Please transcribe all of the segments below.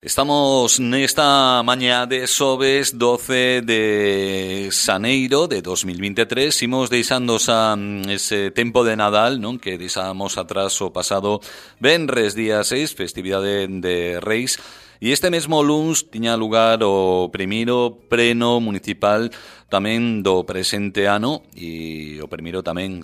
Estamos nesta mañá de xoves 12 de xaneiro de 2023. Imos deixando ese tempo de Nadal, non, que deixamos atrás o pasado venres día 6, festividade de Reis. E este mesmo luns tiña lugar o primeiro pleno municipal tamén do presente ano e o primeiro tamén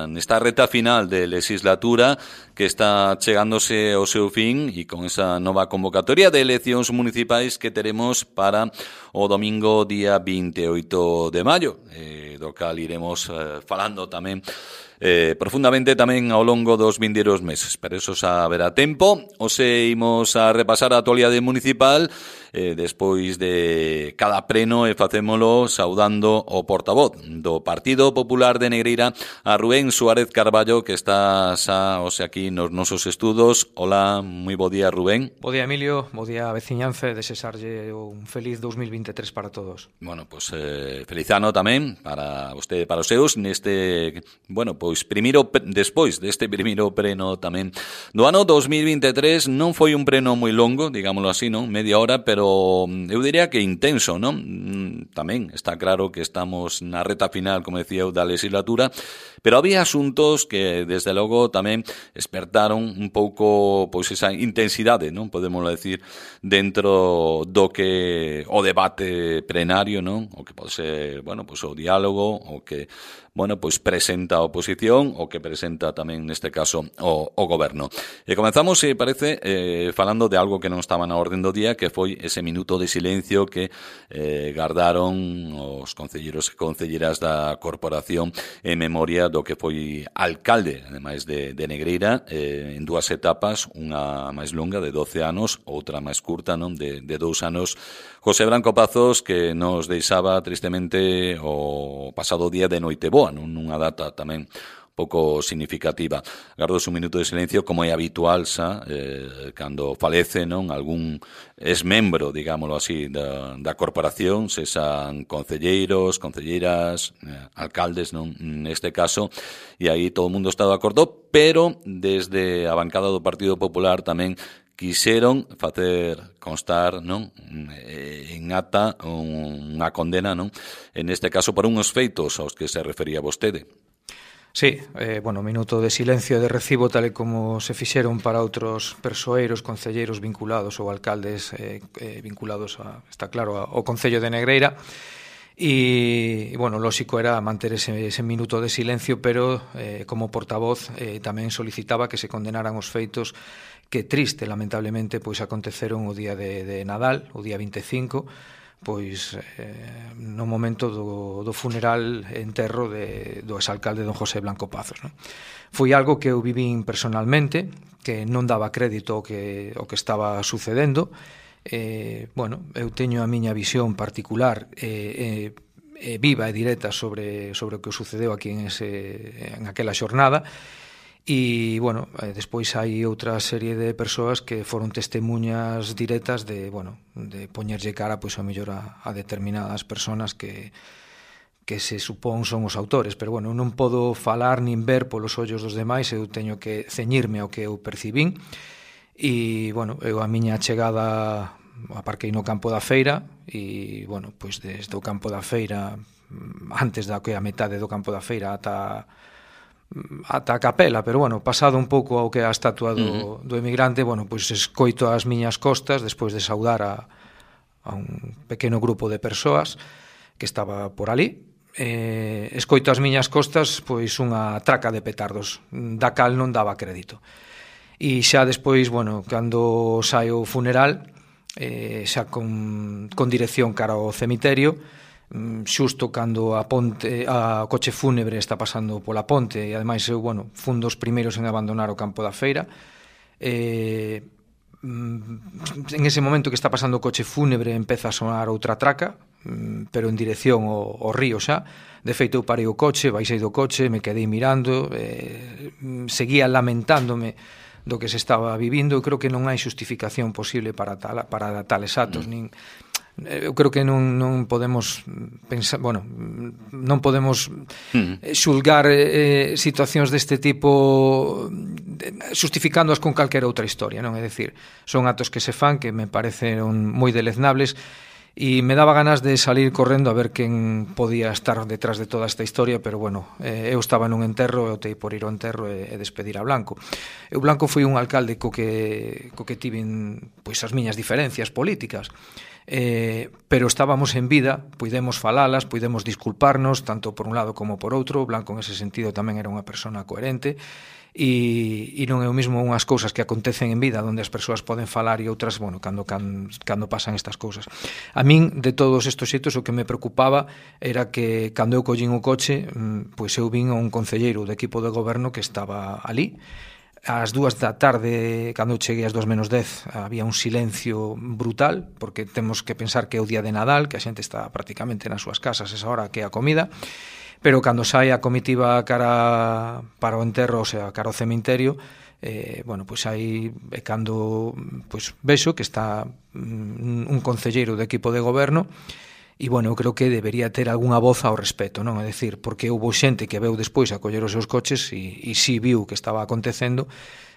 nesta reta final de legislatura que está chegándose ao seu fin e con esa nova convocatoria de eleccións municipais que teremos para o domingo día 28 de maio, do cal iremos falando tamén profundamente tamén ao longo dos vindeiros meses. Pero eso xa haberá tempo. Ose imos a repasar a actualidade municipal despois de cada pleno e facémolo saudando o portavoz do Partido Popular de Negreira, a Rubén Suárez Carballo, que está xa aquí nos nosos estudos. Hola, moi bo día, Rubén. Bo día, Emilio, bo día, veciñanza, e desexarlle un feliz 2023 para todos. Bueno, pois feliz ano tamén para vostede e para os seus neste, bueno, pois primeiro, despois deste primeiro pleno tamén do ano 2023. Non foi un pleno moi longo, digámoslo así, non? Media hora, pero eu diría que intenso, non? Tamén está claro que estamos na reta final, como decía eu, da legislatura, pero había asuntos que, desde logo, tamén despertaron un pouco pois esa intensidade, non? Podemos decir, dentro do que o debate plenario, non? O que pode ser, bueno, pois o diálogo, o que, bueno, pois presenta a oposición, o que presenta tamén, neste caso, o goberno. E comenzamos, se parece, falando de algo que non estaba na orden do día, que foi ese minuto de silencio que gardaron os concelleiros e concelleras da corporación en memoria do que foi alcalde, ademais de Negreira, en dúas etapas, unha máis longa de 12 anos, outra máis curta, non, de 2 anos, José Branco Pazos, que nos deixaba tristemente o pasado día de Noiteboa, nunha data tamén pouco significativa. Gardo un minuto de silencio, como é habitual cando falece, non, algún exmembro, digámoslo así, da corporación, sexan concelleiros, concelleiras, alcaldes, non, neste caso, e aí todo o mundo está de acordo, pero desde a bancada do Partido Popular tamén quixeron facer constar, non, en ata unha condena, non, en este caso por unhos feitos aos que se refería vostede. Sí, bueno, minuto de silencio de recibo tal e como se fixeron para outros persoeiros, concelleiros vinculados ou alcaldes vinculados, está claro, ao Concello de Negreira. E, bueno, lóxico era manter ese minuto de silencio, pero como portavoz tamén solicitaba que se condenaran os feitos que triste, lamentablemente, pois aconteceron o día de Nadal, o día 25, pois no momento do funeral enterro do exalcalde don José Blanco Pazos, non? Foi algo que eu vivín personalmente, que non daba crédito ao que estaba sucedendo. Bueno, eu teño a miña visión particular viva e directa sobre o que sucedeu aquí en aquela xornada. E, bueno, despois hai outra serie de persoas que foron testemunhas directas de poñerlle cara, pois, a mellor a determinadas persoas que se supón son os autores, pero, bueno, non podo falar nin ver polos ollos dos demais, eu teño que ceñirme ao que eu percibín, e, bueno, eu a miña chegada aparquei no campo da feira, e, bueno, pois desde o campo da feira, antes da que a metade do campo da feira ata a capela, pero, bueno, pasado un pouco ao que é a estatua do emigrante, bueno, pois escoito as miñas costas, despois de saudar a un pequeno grupo de persoas que estaba por ali, escoito as miñas costas pois unha traca de petardos, da cal non daba crédito. E xa despois, bueno, cando saio o funeral, xa con dirección cara ao cemiterio, xusto cando a coche fúnebre está pasando pola ponte, e ademais eu, bueno, fun dos primeiros en abandonar o campo da feira. En ese momento que está pasando o coche fúnebre empeza a sonar outra traca, pero en dirección ao río xa. De feito, eu parei o coche, baixei do coche, me quedei mirando, seguía lamentándome do que se estaba vivindo. Eu creo que non hai xustificación posible para tales atos, nin eu creo que non podemos pensar, bueno, non podemos xulgar situacións deste tipo xustificándoas con calquera outra historia, non? É dicir, son actos que se fan que me parecen moi deleznables, e me daba ganas de salir correndo a ver quen podía estar detrás de toda esta historia, pero bueno, eu estaba nun enterro e optei por ir ao enterro e despedir a Blanco. Eu Blanco foi un alcalde co que tiven pois as miñas diferencias políticas, pero estábamos en vida, puidemos falalas, puidemos disculparnos tanto por un lado como por outro. Blanco en ese sentido tamén era unha persona coherente, e non é o mismo unhas cousas que acontecen en vida onde as persoas poden falar e outras, bueno, cando pasan estas cousas. A min, de todos estes xeitos, o que me preocupaba era que cando eu collín o coche, pois eu vin a un concelleiro do equipo de goberno que estaba ali. Ás 2 da tarde, cando eu cheguei ás 2:10, había un silencio brutal, porque temos que pensar que é o día de Nadal, que a xente está prácticamente nas súas casas esa hora que é a comida, pero cando sai a comitiva cara para o enterro, o sea, cara ao cemiterio, bueno, pois aí é cando pois vexo que está un concelleiro do equipo de goberno. E, bueno, eu creo que debería ter algunha voz ao respecto, non? É dicir, porque houve xente que veu despois a coller os seus coches e si viu que estaba acontecendo.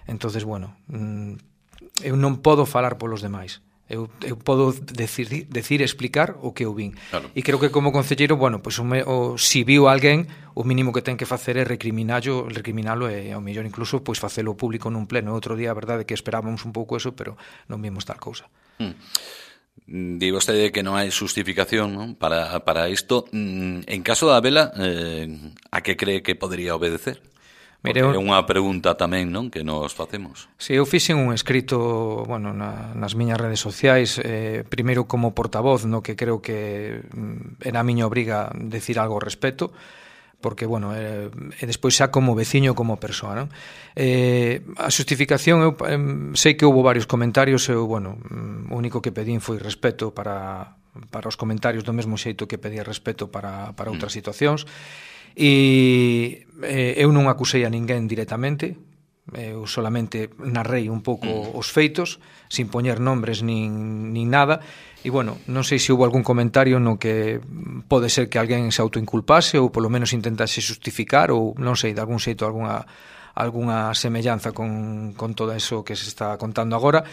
Entonces, bueno, eu non podo falar polos demais. Eu podo decir, explicar o que eu vin. Claro. E creo que como concelleiro, bueno, pues, si viu alguén, o mínimo que ten que facer é recriminalo e ao mellor incluso pois facelo público nun pleno. Outro día, a verdade, que esperábamos un pouco eso, pero non vimos tal cousa. Di vostede que non hai justificación, non? Para isto. En caso da vela, a que cree que podería obedecer? Porque é unha pregunta tamén, non, que nos facemos. Si, eu fixen un escrito, bueno, nas miñas redes sociais, primeiro como portavoz, no que creo que era a miña obriga decir algo ao respecto, porque, bueno, e despois xa como veciño, como persoa, non? A xustificación, eu sei que houve varios comentarios, eu, bueno, o único que pedín foi respeto para os comentarios, do mesmo xeito que pedía respeto para outras situacións. E eu non acusei a ninguén directamente, eu solamente narrei un pouco os feitos, sin poñer nombres nin nada, e, bueno, non sei se houve algún comentario no que pode ser que alguén se autoinculpase ou polo menos intentase justificar, ou non sei, de algún xeito algunha semellanza con todo eso que se está contando agora.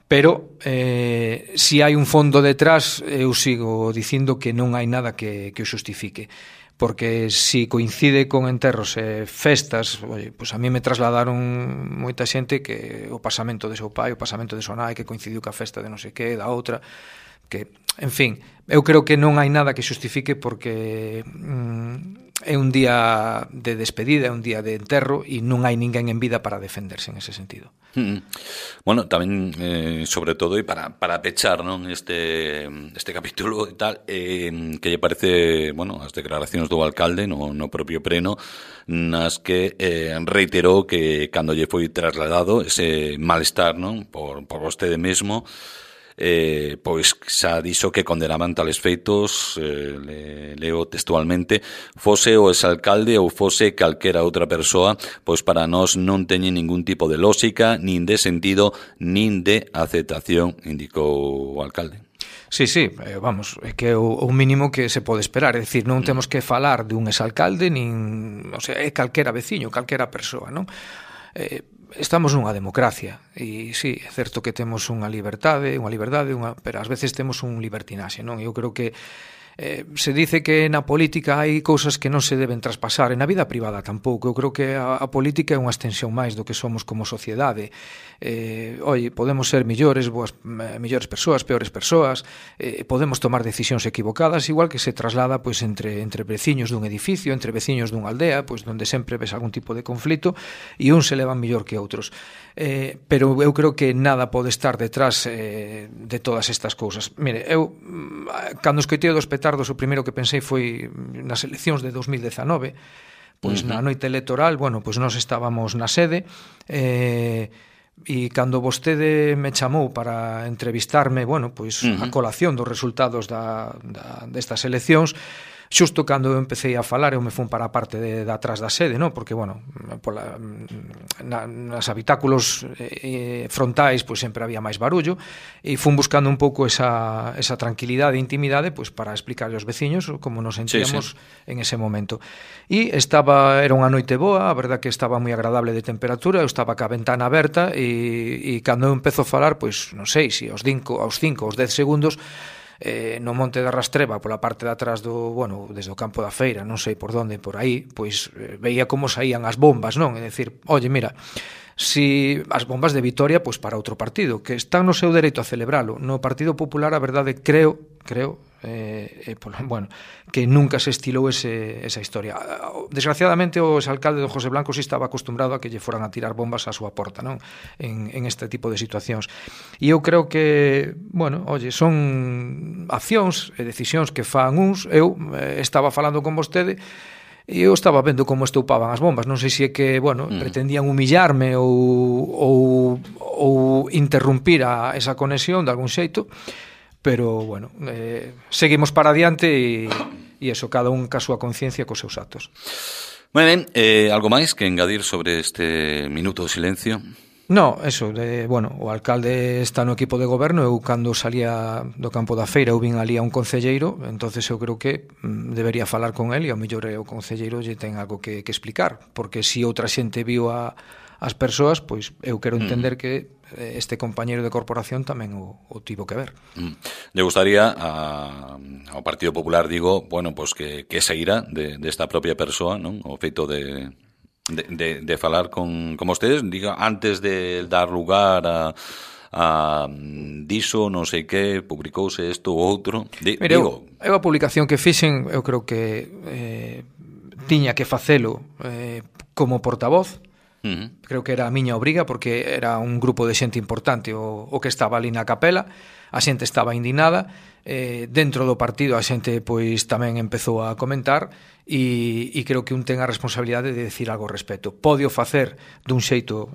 Pero si hai un fondo detrás, eu sigo dicindo que non hai nada que o xustifique, porque si coincide con enterros e festas, pois a mí me trasladaron moita xente que o pasamento de seu pai, o pasamento de súa nai, que coincidiu ca festa de non sei que, da outra, que, en fin, eu creo que non hai nada que xustifique, porque é un día de despedida, é un día de enterro, e non hai ninguén en vida para defenderse en ese sentido. Bueno, tamén, sobre todo, e para pechar, non, este capítulo e tal, que lle parece, bueno, as declaracións do alcalde no propio pleno, nas que reiterou que cando lle foi trasladado ese malestar, non, por vostede mesmo, pois xa dixo que condenaban tales feitos, leo textualmente, fose o exalcalde ou fose calquera outra persoa, pois para nós non teñen ningún tipo de lógica, nin de sentido, nin de aceptación, indicou o alcalde. Sí, vamos, é que é o mínimo que se pode esperar, é dicir, non temos que falar de un exalcalde, nin, o sea, é calquera veciño, calquera persoa, non? Estamos nunha democracia e sí, é certo que temos unha liberdade, pero ás veces temos un libertinaxe, non? Eu creo que se dice que na política hai cousas que non se deben traspasar, e na vida privada tampouco. Eu creo que a política é unha extensión máis do que somos como sociedade. Podemos ser mellores persoas, peores persoas, podemos tomar decisións equivocadas, igual que se traslada pois entre veciños dun edificio, entre veciños dunha aldea, pois onde sempre ves algún tipo de conflito e uns se levan mellor que outros. Pero eu creo que nada pode estar detrás de todas estas cousas. Mire, eu cando escoitei dos petardos, o primeiro que pensei foi nas eleccións de 2019, pois na noite electoral, bueno, pois nós estábamos na sede, e cando vostede me chamou para entrevistarme, bueno, pois a colación dos resultados destas eleccións, Xusto cando eu empecé a falar, eu me fun para a parte de atrás da sede, non? Porque, bueno, nas habitáculos frontais pois sempre había máis barullo, e fun buscando un pouco esa tranquilidade e intimidade pois para explicarle aos veciños como nos sentíamos en ese momento. E era unha noite boa, a verdad que estaba moi agradable de temperatura, eu estaba ca ventana aberta, e cando eu empezo a falar, pois non sei se aos 5 aos 10 segundos, no Monte da Rastreba, pola parte de atrás desde o campo da feira, non sei por onde, por aí, pois veía como saían as bombas, non? É dicir, oye, mira, si as bombas de Vitoria, pois para outro partido, que están no seu dereito a celebralo. No Partido Popular, a verdade, creo, que nunca se estilou esa historia. Desgraciadamente, o exalcalde do José Blanco si estaba acostumbrado a que lle foran a tirar bombas á súa porta, non? En este tipo de situacións. E eu creo que, son accións e decisións que fan uns. Eu estaba falando con vostede e eu estaba vendo como estoupaban as bombas. Non sei se é que, pretendían humillarme ou interrumpir esa conexión de algún xeito, pero, seguimos para adiante e eso, cada un ca súa conciencia cos seus actos. Moi ben, algo máis que engadir sobre este minuto de silencio? No, eso, o alcalde está no equipo de goberno. Eu cando salía do campo da feira eu vin ali a un concelleiro, entonces eu creo que debería falar con él, e ao mellor o concelleiro lle ten algo que explicar, porque se outra xente viu as persoas, pois eu quero entender que este compañeiro de corporación tamén o tivo que ver. Le gustaría ao Partido Popular, digo, pues que saíra desta propia persoa, non? O feito de falar con ustedes, diga, antes de dar lugar a diso, non sei que, publicouse isto ou outro. Mira, eu a publicación que fixen, eu creo que tiña que facelo como portavoz. Creo que era a miña obriga, porque era un grupo de xente importante o que estaba ali na capela. A xente estaba indignada, dentro do partido a xente pois tamén empezou a comentar, e creo que un ten a responsabilidade de decir algo ao respecto. Pode o facer dun xeito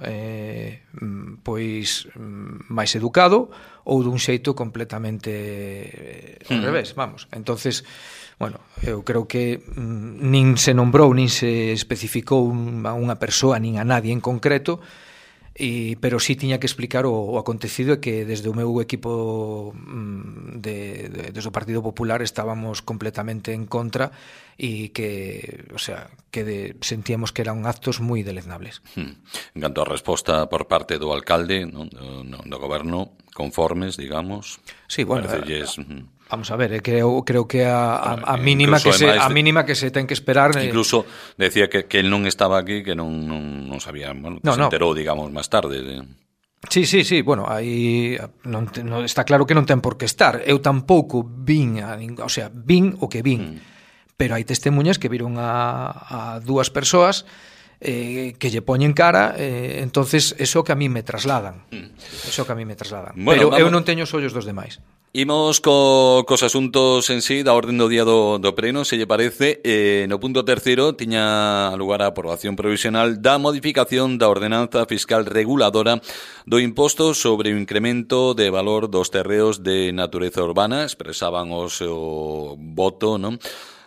pois máis educado, ou dun xeito completamente ao revés, vamos. Entonces, eu creo que nin se nombrou, nin se especificou a unha persoa, nin a nadie en concreto, pero sí tiña que explicar o acontecido, e que desde o meu equipo desde o Partido Popular estábamos completamente en contra, e que, sentíamos que eran actos moi deleznables. En canto a resposta por parte do alcalde, do goberno, conformes, digamos. Sí, vamos a ver, creo que a mínima que se ten que esperar. Incluso decía que él non estaba aquí, que non sabía, se enterou, digamos, máis tarde. Sí, aí está claro que non ten por que estar. Eu tampouco vin o que vin, pero hai testemunhas que viron a dúas persoas que lle poñen cara, entonces eso que a mí me trasladan. Pero eu non teño os ollos dos demais. Imos cos asuntos en sí da orden do día do pleno, se lle parece. No punto terceiro tiña lugar a aprobación provisional da modificación da ordenanza fiscal reguladora do imposto sobre o incremento de valor dos terreos de natureza urbana. Expresaban o seu voto, non?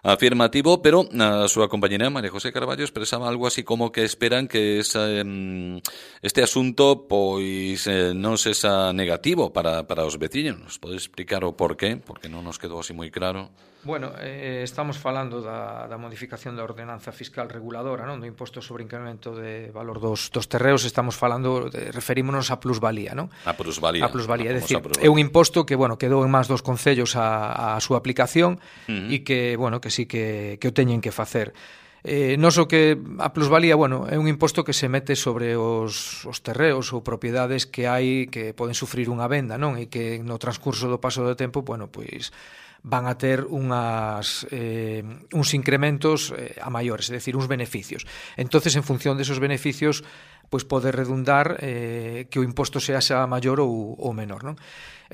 Afirmativo, pero a súa compañera María José Carballo expresaba algo así como que esperan que este asunto pois non sexa negativo para os veciños. Nos pode explicar o porqué? Porque non nos quedou así moi claro. Bueno, estamos falando da modificación da ordenanza fiscal reguladora, non? Do imposto sobre incremento de valor dos terreos. Estamos falando, referímonos a plusvalía, non? A plusvalía. É dicir, é un imposto que, quedou en máis dos concellos a súa aplicación, e que, que sí que o teñen que facer. Non só que a plusvalía, é un imposto que se mete sobre os terreos ou propiedades que hai que poden sufrir unha venda, non? E que no transcurso do paso do tempo, pois van a ter uns incrementos a maiores, é dicir, uns beneficios. Entonces, en función desos beneficios, pois pode redundar que o imposto sea maior ou menor, non?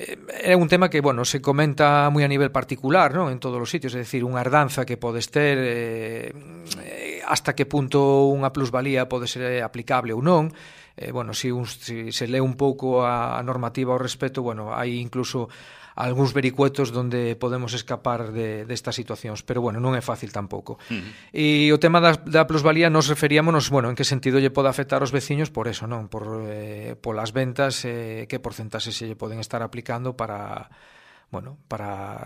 É un tema que, se comenta moi a nivel particular, non? En todos os sitios, é dicir, unha herdanza que podes ter hasta que punto unha plusvalía pode ser aplicable ou non. Bueno, se lee un pouco a normativa ao respecto, bueno, hai incluso algúns vericuetos donde podemos escapar destas situacións, pero bueno, non é fácil tampouco. E o tema da plusvalía nos referíamos, bueno, en que sentido lle pode afectar aos veciños por eso, non? Polas ventas, que porcentaxe se lle poden estar aplicando para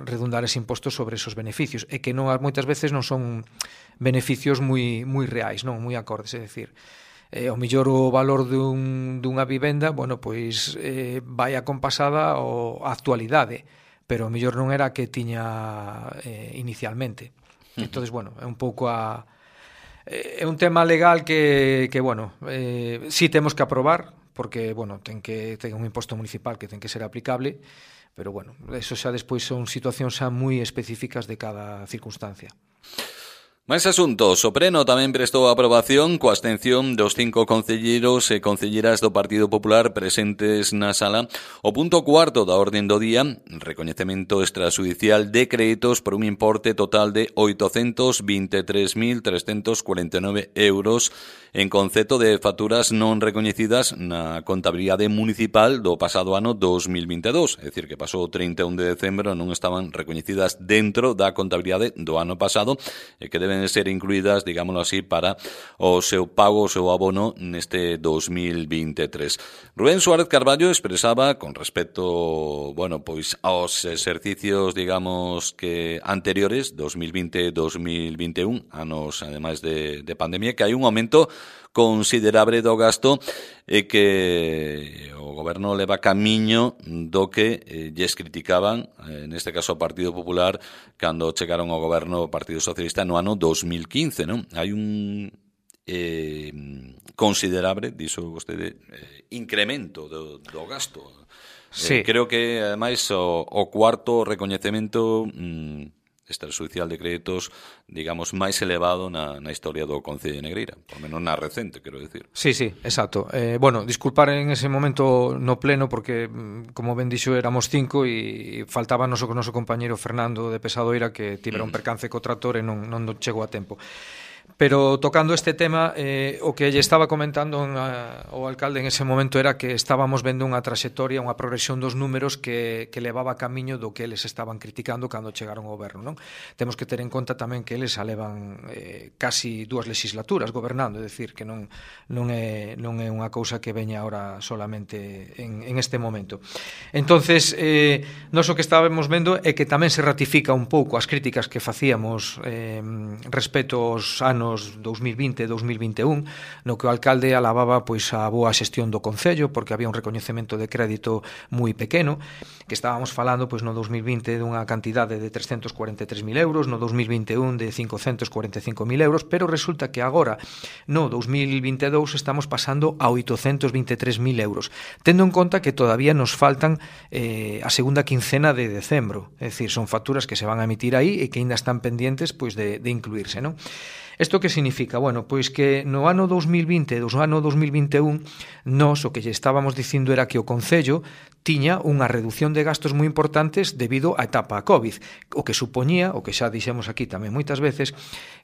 redundar ese imposto sobre esos beneficios, e que non moitas veces non son beneficios moi reais, non moi acordes, é dicir, ao mellor o valor dunha vivenda, bueno, pois vai acompasada á actualidade, pero ao mellor non era a que tiña inicialmente. Entonces, bueno, é un pouco é un tema legal que bueno, sí temos que aprobar, porque, bueno, ten un imposto municipal que ten que ser aplicable, pero, bueno, eso xa despois son situacións xa moi específicas de cada circunstancia. Máis asuntos. O Pleno tamén prestou a aprobación coa abstención dos 5 concelleiros e concelleiras do Partido Popular presentes na sala. O punto 4 da orden do día, recoñecemento extrajudicial de créditos por un importe total de 823.349 euros en concepto de facturas non recoñecidas na contabilidade municipal do pasado ano 2022. É dicir, que pasou o 31 de decembro e non estaban recoñecidas dentro da contabilidade do ano pasado e que deben ser incluídas, digámoslo así, para o seu pago, o seu abono neste 2023. Rubén Suárez Carballo expresaba con respecto, bueno, pois aos exercicios, digamos, que anteriores, 2020 e 2021, anos ademais de pandemia, que hai un aumento considerable do gasto e que o goberno leva camiño do que lles criticaban, neste caso o Partido Popular, cando chegaron ao goberno o Partido Socialista no ano 2015, non? Hai un considerable, dixo vostede, incremento do gasto. Sí. Creo que, ademais, o cuarto recoñecemento extrajudicial de créditos, digamos, máis elevado na historia do Concello de Negreira, por menos na recente, quero decir. Sí, exacto. Bueno, disculpar en ese momento no pleno, porque, como ben dixo, éramos 5 e faltaba o noso compañeiro Fernando de Pesadoira, que tivera un percance co trator e non chegou a tempo. Pero tocando este tema, o que lle estaba comentando o alcalde en ese momento era que estábamos vendo unha traxectoria, unha progresión dos números que levaba camiño do que eles estaban criticando cando chegaron ao goberno, non? Temos que ter en conta tamén que eles alevan casi 2 legislaturas gobernando, é dicir, que non é unha cousa que veña ahora solamente en este momento. Entonces, nós o que estábamos vendo é que tamén se ratifica un pouco as críticas que facíamos respecto aos anos 2020 e 2021, no que o alcalde alababa pois a boa xestión do Concello, porque había un recoñecemento de crédito moi pequeno, que estábamos falando pois no 2020 dunha cantidade de 343.000 euros, no 2021 de 545.000 euros, pero resulta que agora, no 2022, estamos pasando a 823.000 euros, tendo en conta que todavía nos faltan a segunda quincena de decembro, é dicir, son facturas que se van a emitir aí e que ainda están pendientes pois de incluirse, non? Isto que significa? Bueno, pois que no ano 2020 e no ano 2021 nós o que lle estábamos dicindo era que o Concello tiña unha reducción de gastos moi importantes debido á etapa a COVID, o que supoñía, o que xa dixemos aquí tamén moitas veces,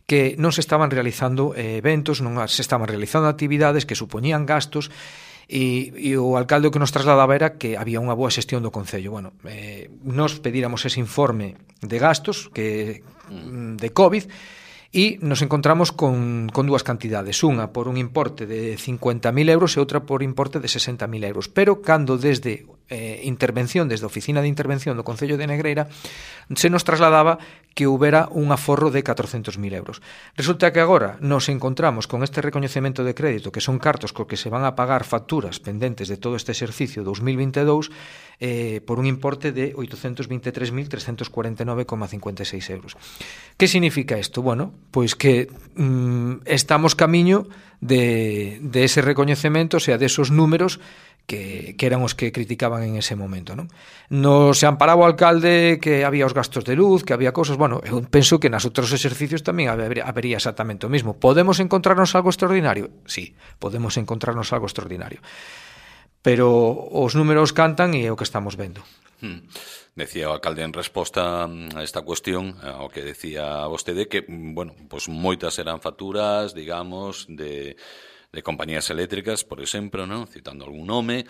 que non se estaban realizando eventos, non se estaban realizando actividades que supoñían gastos. E o alcalde o que nos trasladaba era que había unha boa xestión do Concello. Bueno, nos pedíramos ese informe de gastos de COVID e nos encontramos con dúas cantidades, unha por un importe de 50.000 euros e outra por importe de 60.000 euros, pero cando desde desde a Oficina de Intervención do Concello de Negreira se nos trasladaba que houbera un aforro de 400.000 euros. Resulta que agora nos encontramos con este recoñecemento de crédito, que son cartos co que se van a pagar facturas pendentes de todo este exercicio 2022 por un importe de 823.349,56 euros. Que significa isto? Bueno, pois que estamos camiño de ese recoñecemento, o sea, de esos números que eran os que criticaban en ese momento, non? No se amparaba o alcalde que había os gastos de luz, que había cousas, bueno, eu penso que nas outros exercicios tamén habería exactamente o mismo. Podemos encontrarnos algo extraordinario? Sí, podemos encontrarnos algo extraordinario. Pero os números cantan e é o que estamos vendo. Decía o alcalde en resposta a esta cuestión, ao que decía vostede, que, bueno, pues moitas eran facturas, digamos, de compañías eléctricas, por exemplo, non? Citando algún nome,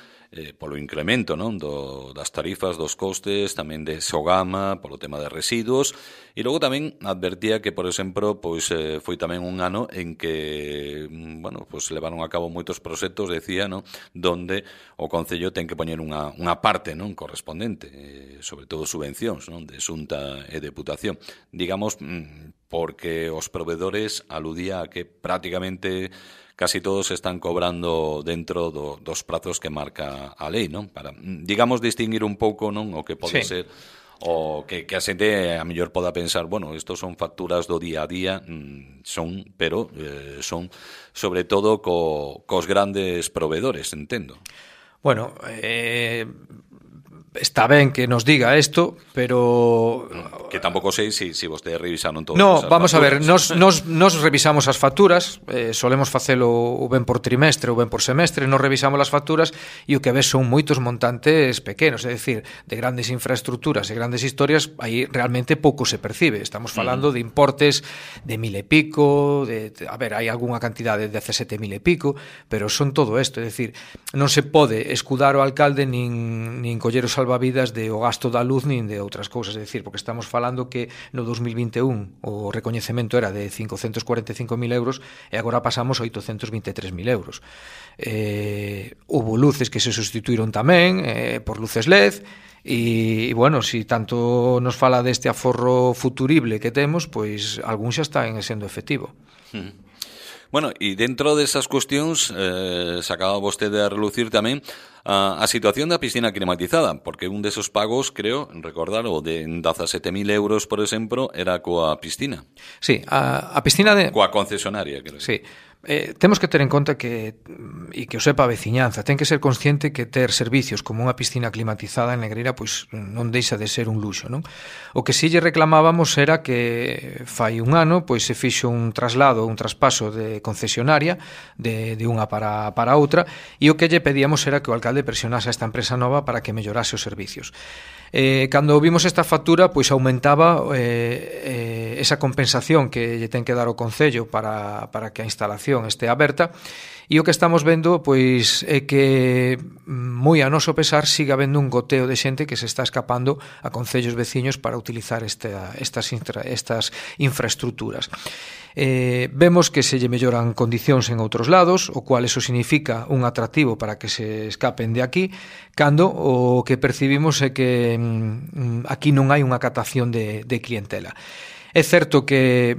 polo incremento, non? Das tarifas, dos costes, tamén de Sogama, polo tema de residuos, e logo tamén advertía que, por exemplo, pois foi tamén un ano en que, bueno, pois levaron a cabo moitos proxectos, decía, non? Donde o Concello ten que poñer unha parte, non? Correspondente, sobre todo subvencións, non? De Xunta e Deputación. Digamos, porque os proveedores aludía a que prácticamente casi todos están cobrando dentro dos prazos que marca a lei, non? Para, digamos, distinguir un pouco, non? O que pode ser o que a xente a mellor poda pensar, bueno, estos son facturas do día a día, pero son sobre todo cos grandes proveedores, entendo. Bueno, está ben que nos diga isto, pero... Que tampouco sei se vostedes revisaron todas no, esas vamos facturas. A ver, nos revisamos as facturas, solemos facelo ou ben por trimestre ou ben por semestre, nos revisamos as facturas e o que ves son moitos montantes pequenos, é dicir, de grandes infraestructuras e grandes historias, aí realmente pouco se percibe. Estamos falando de importes de 1.000 e pico, a ver, hai algunha cantidade de 17.000 e pico, pero son todo isto, é dicir, non se pode escudar o alcalde nin coller os salvavidas de o gasto da luz nin de outras cousas, é dicir, porque estamos falando que no 2021 o recoñecemento era de 545.000 euros e agora pasamos a 823.000 euros. Houve luces que se sustituíron tamén por luces LED e, bueno, si tanto nos fala deste aforro futurible que temos, pois algún xa está sendo efectivo. Bueno, e dentro desas cuestións sacaba vostede a relucir tamén a situación da piscina climatizada, porque un desos pagos, creo, recordar, o de 17.000 euros, por exemplo, era coa piscina. Sí, a piscina de... Coa concesionaria, creo. Sí. Temos que ter en conta que, e que o sepa a veciñanza, ten que ser consciente que ter servicios como unha piscina climatizada en Negreira pois non deixa de ser un luxo, non? O que si lle reclamábamos era que fai un ano pois se fixo un traslado, un traspaso de concesionaria de unha para outra, e o que lle pedíamos era que o alcalde presionase a esta empresa nova para que mellorase os servicios. Cando vimos esta factura, pois aumentaba esa compensación que lle ten que dar o Concello para que a instalación este aberta, e o que estamos vendo pois é que moi a noso pesar siga habendo un goteo de xente que se está escapando a concellos veciños para utilizar estas infraestructuras. Vemos que se lle melloran condicións en outros lados, o cual eso significa un atractivo para que se escapen de aquí, cando o que percibimos é que aquí non hai unha captación de clientela. É certo que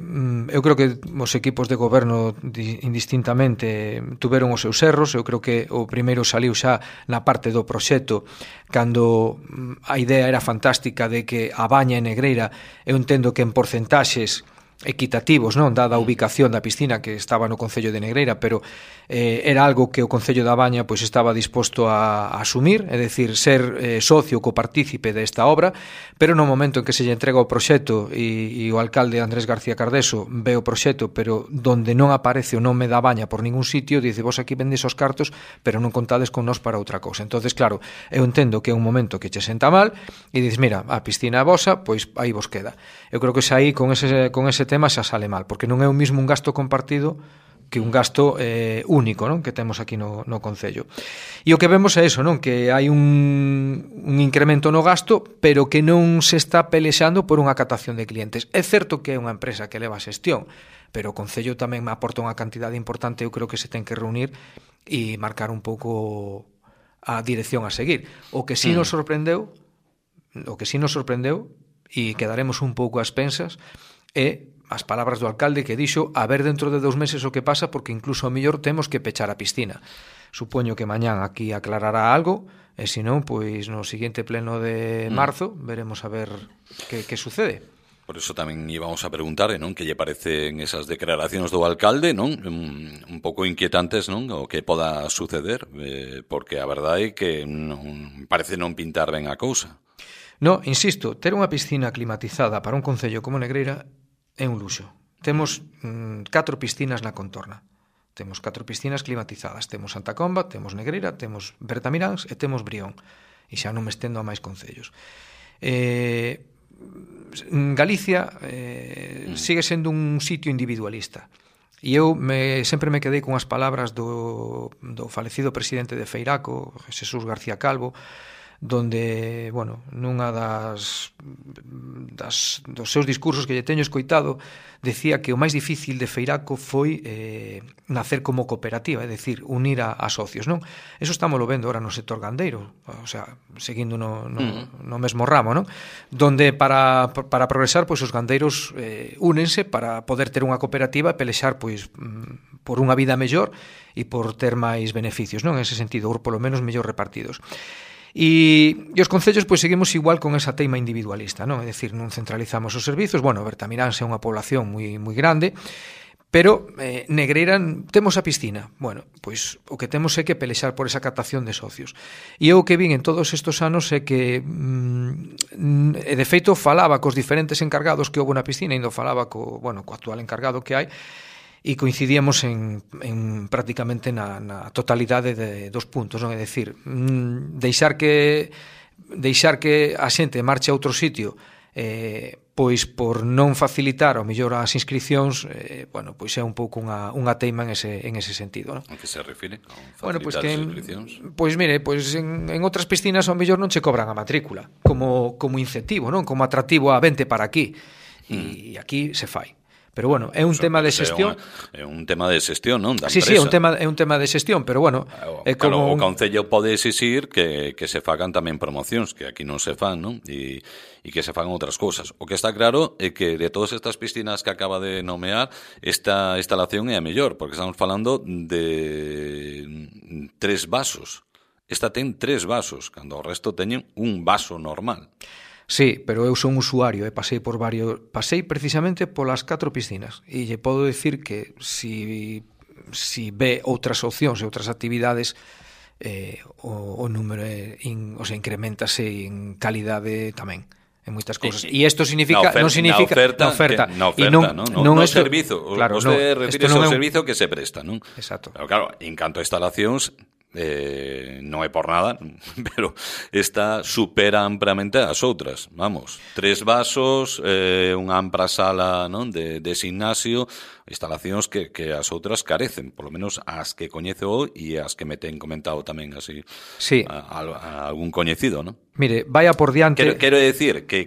eu creo que os equipos de goberno indistintamente tuveron os seus erros. Eu creo que o primeiro saliu xa na parte do proxecto, cando a idea era fantástica de que a baña en Negreira, eu entendo que en porcentaxes equitativos, non, dada a ubicación da piscina que estaba no Concello de Negreira, pero era algo que o Concello da Baña pois estaba disposto a asumir, é dicir, ser socio copartícipe desta obra, pero no momento en que se lle entrega o proxecto e o alcalde Andrés García Cardeso ve o proxecto, pero donde non aparece o nome da Baña por ningún sitio, dice, vos aquí vendes os cartos, pero non contades con nós para outra cousa. Entonces, claro, eu entendo que é un momento que che senta mal e dices, mira, a piscina é vosa, pois aí vos queda. Eu creo que xa aí con ese tema xa sale mal, porque non é o mismo un gasto compartido que un gasto único, non, que temos aquí no Concello. E o que vemos é eso, non, que hai un incremento no gasto, pero que non se está pelexando por unha captación de clientes. É certo que é unha empresa que leva a xestión, pero o Concello tamén me aporta unha cantidade importante, eu creo que se ten que reunir e marcar un pouco a dirección a seguir. O que sí nos sorprendeu, e quedaremos un pouco a expensas, é as palabras do alcalde que dixo a ver dentro de 2 meses o que pasa, porque incluso ao mellor temos que pechar a piscina. Supoño que mañán aquí aclarará algo, e se non, pois no seguinte pleno de marzo veremos a ver que sucede. Por eso tamén íbamos a preguntar, non, que lle parecen esas declaracións do alcalde, non, un pouco inquietantes, non, o que poda suceder, porque a verdade é que non parece non pintar ben a cousa. No, insisto, ter unha piscina climatizada para un concello como Negreira é un luxo. Temos 4 piscinas na contorna. Temos 4 piscinas climatizadas. Temos Santa Comba, temos Negreira, temos Bertamiráns e temos Brión. e xa non me estendo a máis concellos. Galicia sigue sendo un sitio individualista. E eu sempre me quedei con as palabras do falecido presidente de Feiraco, Jesús García Calvo, donde, bueno, nunha dos seus discursos que lle teño escoitado, decía que o máis difícil de Feiraco foi nacer como cooperativa, é dicir, unir a socios, non? Eso estámoslo vendo ahora no sector gandeiro, o sea, seguindo no mesmo ramo, non? Donde para progresar, pois os gandeiros únense para poder ter unha cooperativa e pelexar, pois, por unha vida mellor e por ter máis beneficios, non? En ese sentido, ou polo menos mellor repartidos. E os concellos pois seguimos igual con esa teima individualista, non? É dicir, non centralizamos os servizos. Bueno, Bertamiránse é unha población moi grande, pero Negreira temos a piscina. Bueno, pois o que temos é que pelexar por esa captación de socios. E eu o que vin en todos estes anos é que de feito falaba cos diferentes encargados que houve na piscina, e ainda falaba co actual encargado que hai, e coincidíamos en prácticamente na totalidade dos puntos, non? É dicir, deixar que a xente marche a outro sitio pois por non facilitar ao mellor as inscripcións, pois é un pouco unha teima en ese sentido, non? A que se refire con facilitar as inscripcións? Pois mire, pois en outras piscinas ao mellor non che cobran a matrícula como incentivo, non? Como atractivo a vente para aquí, e aquí se fai. Pero bueno, é un tema de xestión. É un tema de xestión, non? Da empresa. Sí, é un tema de xestión, pero bueno, é como o Concello pode exixir que se fagan tamén promocións, que aquí non se fan, non? E que se fagan outras cousas. O que está claro é que de todas estas piscinas que acaba de nomear, esta instalación é a mellor, porque estamos falando de 3 vasos. Esta ten 3 vasos, cando o resto teñen un vaso normal. Sí, pero eu son usuario e pasei precisamente polas 4 piscinas e lle podo dicir que si ve outras opcións e outras actividades, o número incrementase en calidade tamén en moitas cousas. E isto significa na oferta, non servizo. Claro, você refire ao servizo que se presta, non? Exacto. Pero claro, en canto a instalacións, non é por nada, pero esta supera ampliamente as outras. Vamos, 3 vasos, unha ampla sala, non, de gimnasio, instalacións que as outras carecen, polo menos as que coñezo e as que me ten comentado tamén así, sí, a algún coñecido, non? Mire, vaya por diante. Quero decir que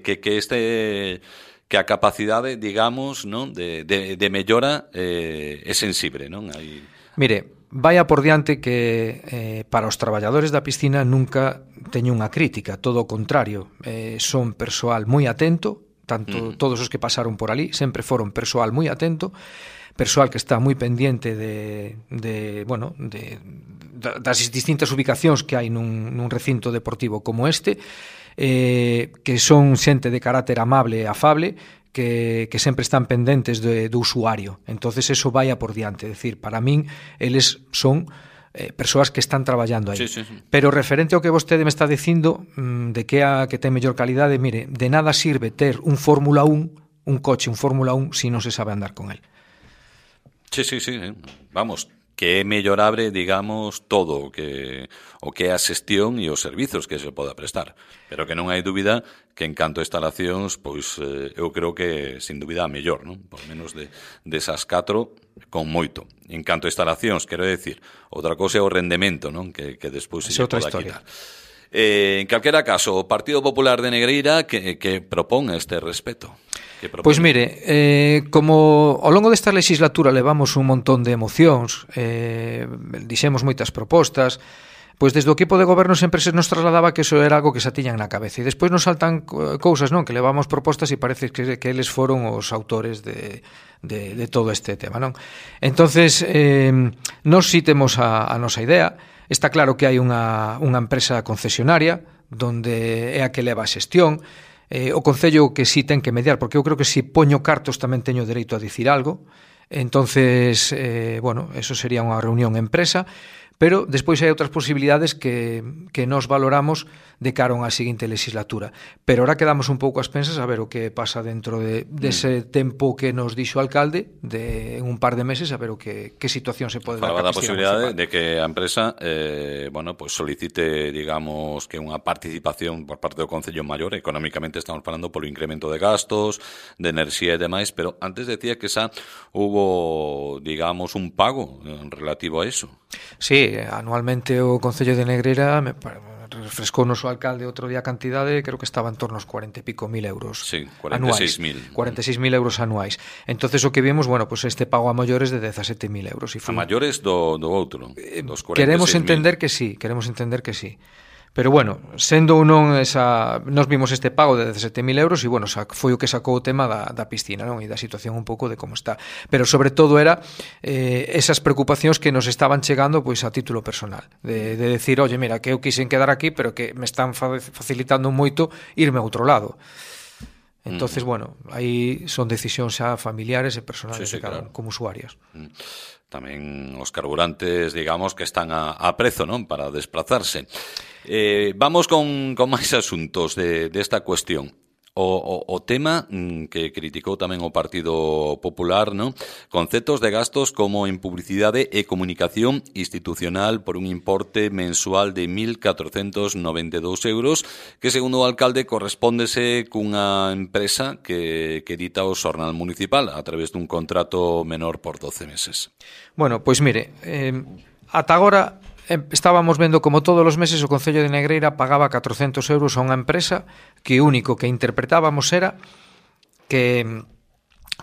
a capacidade, digamos, non, de mellora é sensible, non? Mire, vaya por diante que para os traballadores da piscina nunca teño unha crítica, todo o contrario, son persoal moi atento, tanto todos os que pasaron por ali sempre foron persoal moi atento, persoal que está moi pendiente das distintas ubicacións que hai nun recinto deportivo como este, que son xente de carácter amable e afable, que sempre están pendentes do usuario. Entonces eso vai a por diante, é dicir, para min eles son persoas que están traballando aí. Sí. Pero referente ao que vostede me está dicindo de que ten mellor calidade, mire, de nada sirve ter un Fórmula 1, un coche, un Fórmula 1, se non se sabe andar con el. Sí. Vamos, que é mellorable, digamos, todo o que é a xestión e os servizos que se poda prestar. Pero que non hai dúbida que en canto a instalacións, pois eu creo que, sin dúbida, a mellor, non? Por menos desas 4, con moito. En canto a instalacións, quero decir, outra cousa é o rendemento, non? Que despois se poda quitar. En calquera caso, o Partido Popular de Negreira que propón este respeto? Pois mire, como ao longo desta legislatura levamos un montón de emocións, dixemos moitas propostas, pois desde o equipo de goberno sempre se nos trasladaba que eso era algo que se tiñan na cabeza, e despois nos saltan cousas, non, que levamos propostas e parece que eles foron os autores de todo este tema, non? Entonces, nós si temos a nosa idea. Está claro que hai unha empresa concesionaria donde é a que leva a xestión, o Concello que sí ten que mediar, porque eu creo que se poño cartos tamén teño dereito a dicir algo. Entonces, eso sería unha reunión empresa Pero despois hai outras posibilidades que nos valoramos de cara a unha seguinte legislatura. Pero ahora quedamos un pouco ás pensas a ver o que pasa dentro dese tempo que nos dixo o alcalde, en un par de meses, a ver que situación se pode dar. Falaba da posibilidade de que a empresa pues solicite, digamos, que unha participación por parte do Concello maior. Económicamente estamos falando polo incremento de gastos, de enerxía e demais, pero antes decía que xa hubo, digamos, un pago relativo a eso. Sí, anualmente o Concello de Negreira refrescounos o alcalde outro día a cantidade, creo que estaba en torno aos 40 e pico mil euros. Sí, 46.000. 46.000 euros anuais. Entonces o que vimos, pues este pago a maiores de 17.000 euros. A maiores do outro, dos 46.000. Queremos entender que sí. Pero bueno, sendo ou non nos vimos este pago de 17.000 euros e foi o que sacou o tema da piscina, non? E da situación un pouco de como está. Pero sobre todo era esas preocupacións que nos estaban chegando pois a título personal, de decir, oye, mira, que eu quixen quedar aquí, pero que me están facilitando moito irme a outro lado. Entonces, aí son decisións xa familiares e personales de cada uno, como usuarios. Tamén os carburantes, digamos, que están a prezo, non? Para desplazarse. Vamos con máis asuntos desta cuestión. O tema que criticou tamén o Partido Popular, ¿no? Conceptos de gastos como en publicidade e comunicación institucional por un importe mensual de 1.492 euros, que segundo o alcalde correspóndese cunha empresa que edita o xornal municipal a través dun contrato menor por 12 meses. Bueno, pois mire, ata agora estábamos vendo como todos os meses o Concello de Negreira pagaba 400 euros a unha empresa que o único que interpretábamos era que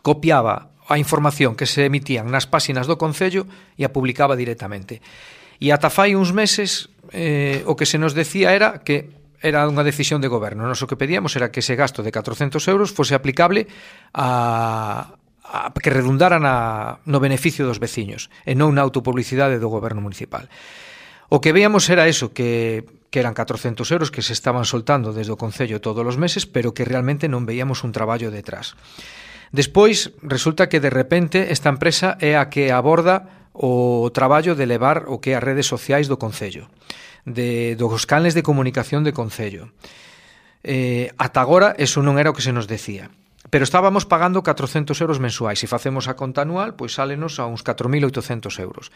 copiaba a información que se emitían nas páxinas do Concello e a publicaba directamente. E ata fai uns meses o que se nos decía era que era unha decisión de goberno. Nos o que pedíamos era que ese gasto de 400 euros fose aplicable que redundara no beneficio dos veciños e non na autopublicidade do goberno municipal. O que veíamos era eso, que eran 400 euros que se estaban soltando desde o Concello todos os meses, pero que realmente non veíamos un traballo detrás. Despois, resulta que de repente esta empresa é a que aborda o traballo de levar o que é as redes sociais do Concello, dos canles de comunicación do Concello. Ata agora, eso non era o que se nos decía. Pero estábamos pagando 400 euros mensuais. Se facemos a conta anual, pois sálenos a uns 4.800 euros.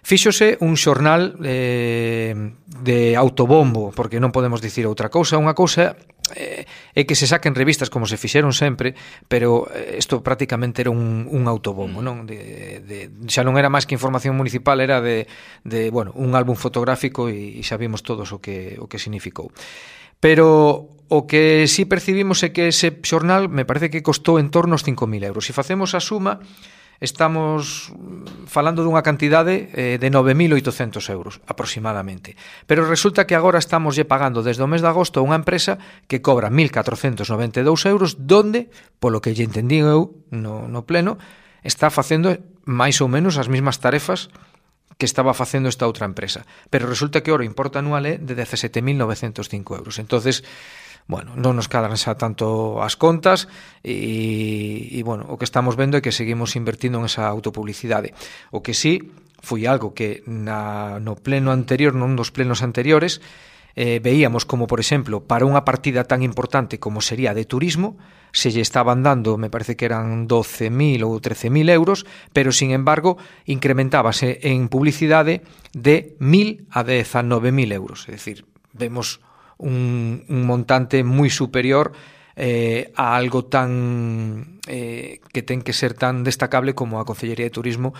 Fíxose un xornal de autobombo, porque non podemos dicir outra cousa. Unha cousa é que se saquen revistas como se fixeron sempre, pero isto prácticamente era un autobombo, non? Xa non era máis que información municipal, era de un álbum fotográfico e xa vimos todos o que significou. Pero o que sí percibimos é que ese xornal me parece que costou en torno aos 5.000 euros. Se facemos a suma, estamos falando dunha cantidade de 9.800 euros aproximadamente. Pero resulta que agora estamos pagando desde o mes de agosto a unha empresa que cobra 1.492 euros, donde, polo que lle entendí eu no pleno, está facendo máis ou menos as mesmas tarefas que estaba facendo esta outra empresa. Pero resulta que o importe anual é de 17.905 euros. Entonces, non nos cadran xa tanto as contas e o que estamos vendo é que seguimos invertindo en esa autopublicidade. O que sí foi algo que no pleno anterior, non dos plenos anteriores, veíamos como, por exemplo, para unha partida tan importante como sería de turismo, se lle estaban dando, me parece que eran 12.000 ou 13.000 euros, pero, sin embargo, incrementábase en publicidade de 1.000 a 19.000 euros. É dicir, vemos un montante moi superior a algo tan que ten que ser tan destacable como a Concellería de Turismo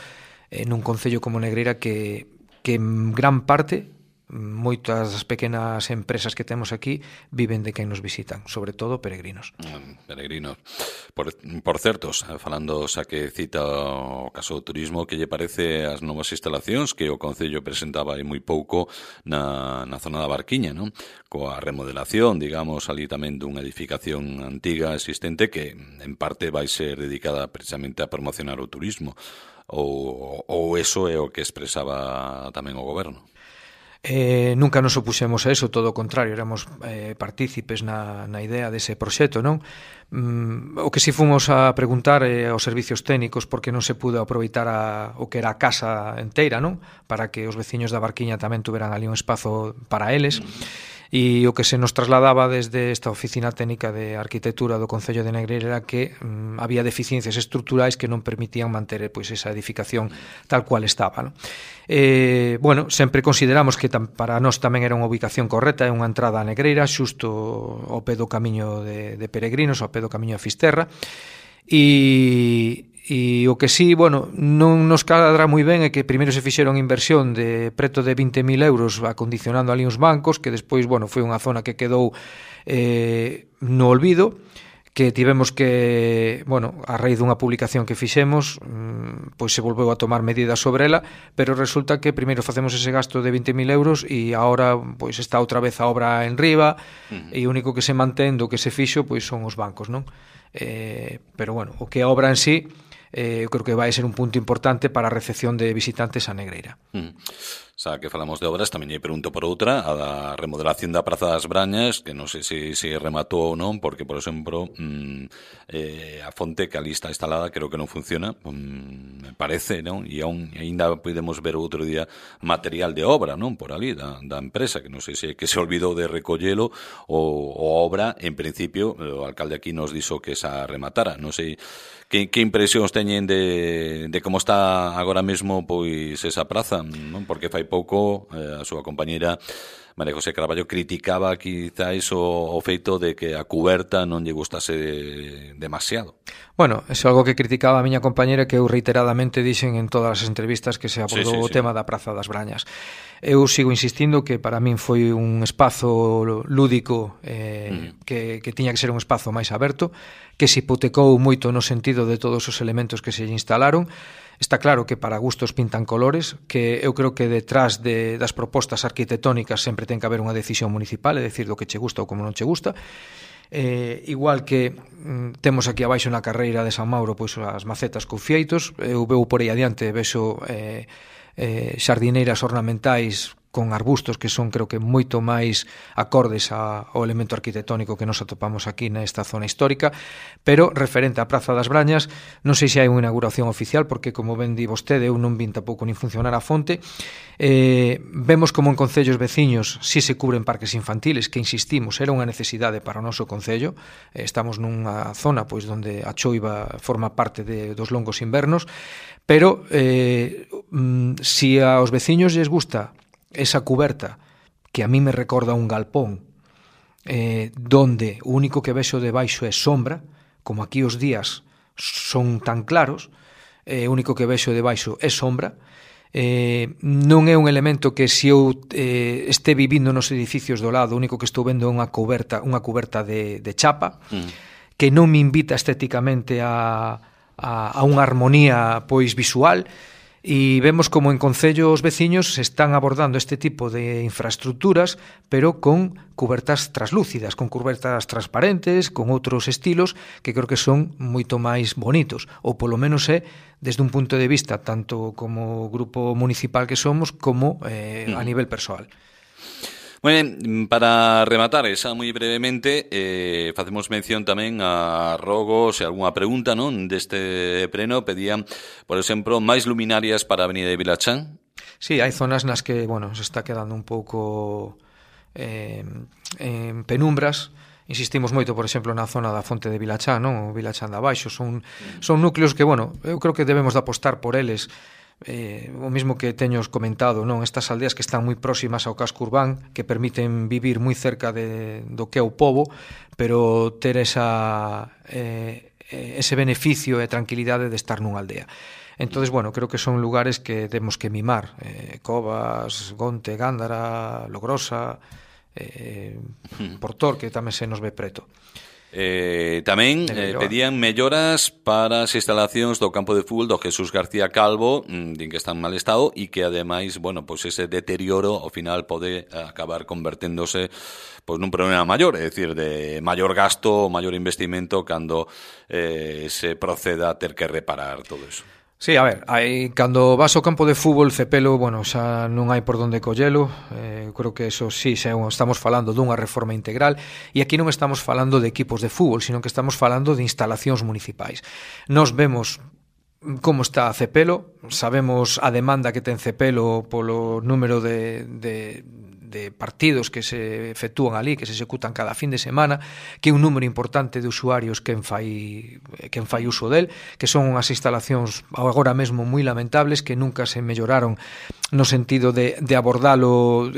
nun concello como Negreira que en gran parte moitas das pequenas empresas que temos aquí viven de quen nos visitan, sobre todo peregrinos. Peregrinos. Por certo, falando xa que cita o caso do turismo, que lle parece as novas instalacións que o Concello presentaba hai moi pouco na zona da Barquiña, non? Coa remodelación, digamos, ali tamén dunha edificación antiga existente que en parte vai ser dedicada precisamente a promocionar o turismo, ou eso é o que expresaba tamén o goberno. Nunca nos opuxemos a eso, todo o contrario, éramos partícipes na idea dese proxecto, non? O que si fomos a preguntar aos servicios técnicos porque non se pudo aproveitar o que era a casa enteira, non? Para que os veciños da Barquiña tamén tuveran ali un espazo para eles. E o que se nos trasladaba desde esta oficina técnica de arquitectura do Concello de Negreira era que había deficiencias estruturais que non permitían manter pois esa edificación tal cual estaba, non? Bueno, sempre consideramos que para nós tamén era unha ubicación correcta, é unha entrada a Negreira xusto ao pé do camiño de peregrinos, ao pé do camiño a Fisterra, e o que sí, bueno, non nos cadra moi ben é que primeiro se fixeron inversión de preto de 20.000 euros acondicionando ali uns bancos, que despois, bueno, foi unha zona que quedou no olvido, que tivemos que, bueno, a raíz dunha publicación que fixemos, pois se volveu a tomar medidas sobre ela, pero resulta que primeiro facemos ese gasto de 20.000 euros e agora pois está outra vez a obra en riba, e o único que se mantén do que se fixo pois son os bancos, non? Pero bueno, o que a obra en sí, eu creo que vai ser un punto importante para a recepción de visitantes a Negreira. Xa que falamos de obras, tamén lle pregunto por outra, a da remodelación da Praza das Brañas, que non sei se rematou ou non, porque, por exemplo, a fonte que ali está instalada creo que non funciona, me parece, non? E ainda podemos ver outro día material de obra, non? Por ali, da empresa, que non sei se que se olvidou de recollelo ou obra, en principio, o alcalde aquí nos dixo que esa rematara, non sei que impresións teñen de como está agora mesmo pois esa praza, non? Porque fai pouco a súa compañeira María José Carballo criticaba quizás o feito de que a cuberta non lle gustase demasiado. Bueno, é algo que criticaba a miña compañera, que eu reiteradamente dixen en todas as entrevistas que se abordou o tema da Praza das Brañas. Eu sigo insistindo que para min foi un espazo lúdico que tiña que ser un espazo máis aberto, que se hipotecou moito no sentido de todos os elementos que se lle instalaron. Está claro que para gustos pintan colores, que eu creo que detrás das propostas arquitectónicas sempre ten que haber unha decisión municipal, é dicir, do que che gusta ou como non che gusta. Igual que temos aquí abaixo na carreira de San Mauro pois as macetas con fieitos, eu veu por aí adiante, vexo xardineiras ornamentais con arbustos que son, creo que, moito máis acordes ao elemento arquitectónico que nos atopamos aquí nesta zona histórica, pero referente á Praza das Brañas, non sei se hai unha inauguración oficial, porque, como ben di vostede, eu non vin tampouco nin funcionar a fonte. Vemos como en concellos veciños si se cubren parques infantiles, que, insistimos, era unha necesidade para o noso concello. Estamos nunha zona pois onde a choiva forma parte dos longos invernos, pero si aos veciños lles gusta esa cuberta, que a mí me recorda un galpón, donde o único que vexo debaixo é sombra, como aquí os días son tan claros, o único que vexo debaixo é sombra, non é un elemento que se eu este vivindo nos edificios do lado, o único que estou vendo é unha cuberta de chapa, que non me invita estéticamente a unha armonía pois visual. E vemos como en concello os veciños se están abordando este tipo de infraestructuras, pero con cubertas traslúcidas, con cubertas transparentes, con outros estilos que creo que son moito máis bonitos, ou polo menos é desde un punto de vista tanto como grupo municipal que somos como a nivel persoal. Moi ben, para rematar esa moi brevemente, facemos mención tamén a rogos e algunha pregunta, non? Deste pleno pedían, por exemplo, máis luminarias para a Avenida de Vilachán. Sí, hai zonas nas que, bueno, se está quedando un pouco en penumbras. Insistimos moito, por exemplo, na zona da Fonte de Vilachán, non? O Vilachán de abaixo, son núcleos que, bueno, eu creo que debemos de apostar por eles. O mismo que teños comentado, non? Estas aldeas que están moi próximas ao casco urbán, que permiten vivir moi cerca do que é o pobo, pero ter ese beneficio e tranquilidade de estar nunha aldea. Entonces, bueno, creo que son lugares que temos que mimar. Covas, Gonte, Gándara, Logrosa, Portor, que tamén se nos ve preto. Tamén pedían melloras para as instalacións do campo de fútbol do Jesús García Calvo, din que está en mal estado e que ademais, bueno, pois ese deterioro ao final pode acabar converténdose pois nun problema maior, é dicir, de maior gasto, maior investimento cando se proceda a ter que reparar todo eso. Sí, a ver, cando vas ao campo de fútbol, Cepelo, bueno, xa non hai por onde collelo, creo que eso sí, xa estamos falando dunha reforma integral, e aquí non estamos falando de equipos de fútbol, sino que estamos falando de instalacións municipais. Nos vemos como está Cepelo, sabemos a demanda que ten Cepelo polo número de partidos que se efectúan ali, que se executan cada fin de semana, que é un número importante de usuarios quen fai uso del, que son unhas instalacións agora mesmo moi lamentables, que nunca se melloraron no sentido de abordalo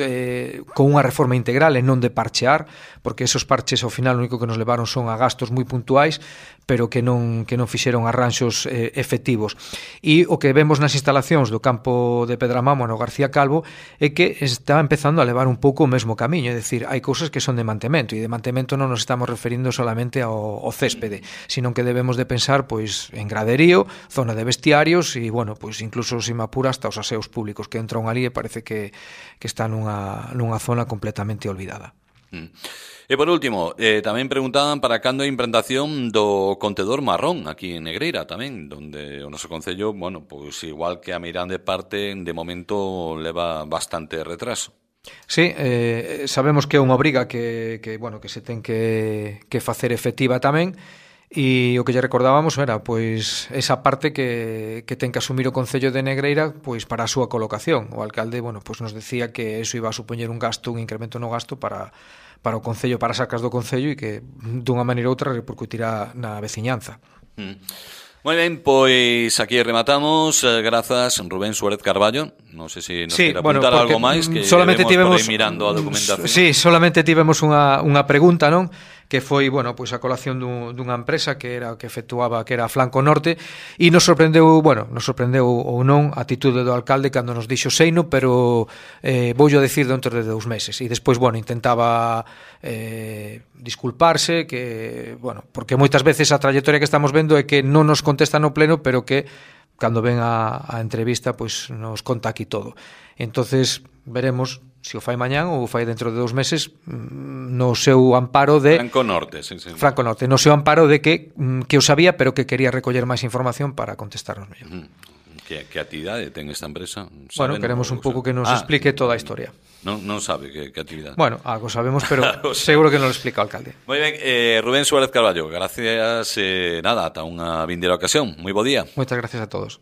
con unha reforma integral e non de parchear, porque esos parches ao final o único que nos levaron son a gastos moi puntuais, pero que non fixeron arranxos efectivos. E o que vemos nas instalacións do campo de Pedramamo no García Calvo é que está empezando a levar un pouco o mesmo camiño, é dicir, hai cousas que son de mantemento, e de mantemento non nos estamos referindo solamente ao céspede, sino que debemos de pensar pois en graderío, zona de vestiarios e, bueno, pois incluso se me apura hasta os aseos públicos que entran ali e parece que está nunha zona completamente olvidada. E por último, tamén preguntaban para cando a implantación do contedor marrón aquí en Negreira tamén, donde o noso concello, bueno, pois igual que a Meirande parte, de momento leva bastante retraso. Sí, sabemos que é unha obriga que se ten que facer efectiva tamén, e o que lle recordábamos era pois esa parte que ten que asumir o Concello de Negreira pois para a súa colocación. O alcalde, bueno, pois nos decía que eso iba a supoñer un incremento no gasto para o Concello, para as arcas do Concello, e que dunha maneira ou outra repercutirá na veciñanza. Moi ben, pois aquí rematamos. Grazas, Rubén Suárez Carballo. Non sei se nos quere apuntar algo máis, que solamente tivemos por aí mirando a documentación. Sí, solamente tivemos unha pregunta, non? Que foi, bueno, pois a colación dunha empresa que era que efectuaba, que era Flanco Norte, e nos sorprendeu ou non a atitude do alcalde cando nos dixo seino, pero voullo decir dentro de 2 meses. E despois, bueno, intentaba disculparse, que, bueno, porque moitas veces a trayectoria que estamos vendo é que non nos contesta no pleno, pero que cando ven a entrevista, pois nos conta aquí todo. Entonces veremos se o fai mañán ou o fai dentro de 2 meses, no seu amparo de Flanco Norte, sí. Flanco Norte, no seu amparo de que o sabía, pero que quería recoller máis información para contestarnos mellor. Que actividade ten esta empresa? Bueno, queremos un pouco que nos explique toda a historia. Non sabe que actividade. Bueno, algo sabemos, pero seguro que non lo explica o alcalde. Moi ben, Rubén Suárez Carballo, gracias, ata unha vindeira ocasión. Moi bo día. Moitas gracias a todos.